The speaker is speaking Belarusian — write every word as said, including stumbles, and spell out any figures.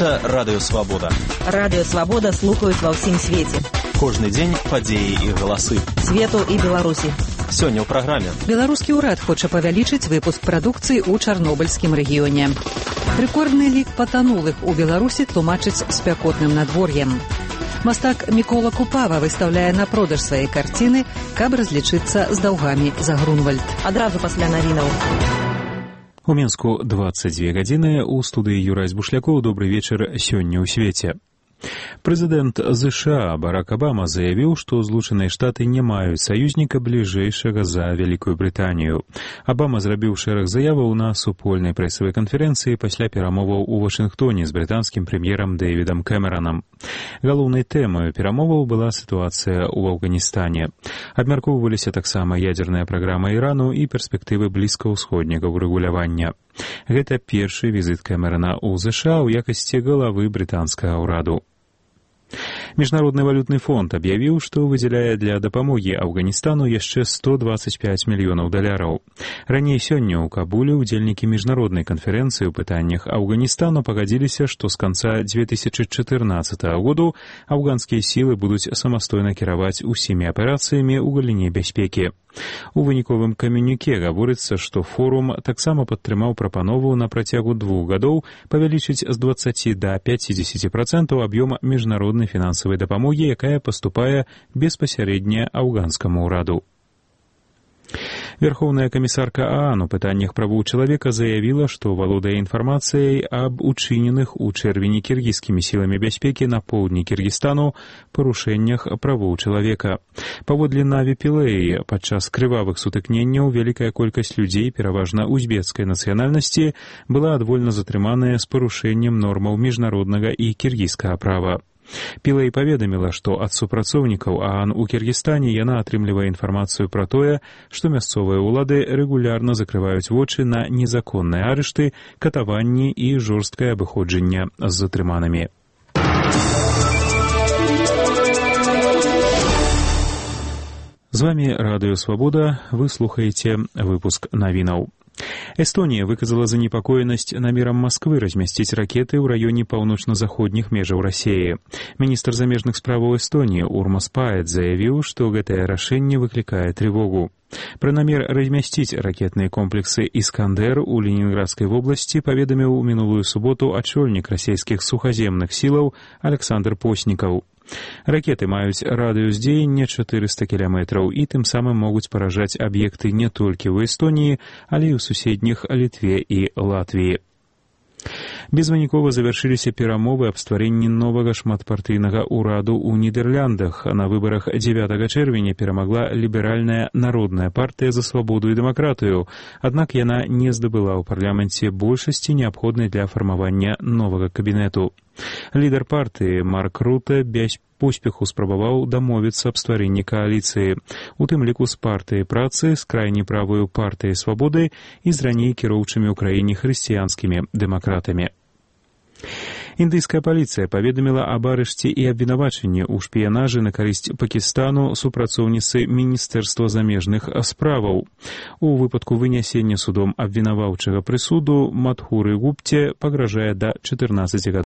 Гэта Радыё Свабода. Радыё Свабода слухаюць ва ўсім свеце. Кожны дзень падзеі і галасы. Свету і Беларусі. Сёння ў праграме. Беларускі ўрад хоча павялічыць выпуск прадукцыі ў Чарнобыльскім рэгіёне. Рэкордны лік патанулых у Беларусі тлумачыць спякотным надвор'ем. Мастак Мікола Купава выстаўляе на продаж свае карціны, каб разлічыцца з даўгамі за Грунвальд. Адразу пасля навінаў. У Мінску дваццаць дзве гадзіны, у студыі Юрай Бушлякоў. Добры вечар сёння ў свеце. Прэзідэнт ЗША Барак Абама заявіў, што Злучаныя Штаты не маюць саюзніка бліжэйшага за Вялікую Брытанію. Абама зрабіў шэраг заяваў на супольнай прэсавай канферэнцыі пасля перамоваў у Вашынгтоне з брытанскім прэм'ерам Дэвідам Кэмеранам. Галоўнай тэмай перамоваў была сітуацыя ў Афганістане. Абмяркоўваліся таксама ядзерная праграма Ірану і перспектывы блізкаўсходняга ўрэгулявання. Гэта першы візіт Кэмерана ў ЗША ў якасці галавы брытанскага ўраду. Міжнародны валютны фонд аб'явіў, што выдзяляе для дапамогі Афганістану яшчэ сто дваццаць пяць мільёнаў даляраў. Раней сёння ў Кабуле ўдзельнікі міжнароднай канферэнцыі ў пытаннях Афганістану пагадзіліся, што з канца дзве тысячы чатырнаццатага году афганскія сілы будуць самастойна кіраваць усімі аперацыямі ў галіне бяспекі. У выніковым камюніке гаворыцца, што форум таксама падтрымаў прапанову на працягу двух гадоў павялічыць з дваццаці да пяцідзесяці працэнтаў аб'ём міжнароднай фінансавай дапамогі, якая паступае беспасярэдне афганскаму ўраду. Верховная камісарка ААН у пытаннях правоў чалавека заявіла, што валодае інфармацыяй аб учыненых у чэрвені кіргізскімі сіламі бяспекі на поўдні Кіргізстану парушэннях правоў чалавека. Паводле Наві Пілеі, падчас крывавых сутыкненняў вялікая колькасць людзей, пераважна узбекскай нацыянальнасці, была адвольна затрыманая з парушэннем нормаў міжнароднага і кіргізскага права. Пілей паведаміла, што ад супрацоўнікаў ААН у Кіргізстане яна атрымлівае інфармацыю пра тое, што мясцовыя ўлады рэгулярна закрываюць вочы на незаконныя арышты, катаванні і жорсткае абыходжанне з затрыманымі. З вамі Радыё Свабода, вы слухаеце выпуск навінаў. Эстонія выказала занепакоенасць намерам Масквы размясціць ракеты ў раёне паўночна-заходніх межаў Расіі. Міністр замежных справаў Эстоніі Урмас Паэт заявіў, што гэтае рашэнне выклікае трывогу. Пра намер размясціць ракетныя комплексы «Іскандэр» у Ленінградскай вобласці паведаміў у мінулую суботу ачольнік расійскіх сухаземных сілаў Александр Поснікаў. Ракеты маюць радыус дзеяння чатырыста кіламетраў і тым самым могуць паражаць аб'екты не толькі ў Эстоніі, але і ў суседніх Літве і Латвіі. Безвынікова завяршыліся перамовы аб стварэнні новага шматпартыйнага ўраду ў Нідэрляндах. На выбарах дзевятага чэрвеня перамагла ліберальная народная партыя за свабоду і дэмакратыю, аднак яна не здабыла ў парламенце большасці, неабходнай для фармавання новага кабінету. Лідар партыі Марк Руте без поспеху спрабаваў дамовіцца аб стварэнні кааліцыі, у тым ліку з партыяй працы, з крайне правою партыяй свабоды і з раней кіроўчымі ў краіне хрысціянскімі дэмакратамі. Індыйская паліцыя паведаміла аб арышце і абвінавачанні ў шпіянажы на карысць Пакістану супрацоўніцы Міністэрства замежных справаў. У выпадку вынясення судом абвінаваўчага прысуду Мадхуры Гупце пагражае да чатырнаццаці гадоў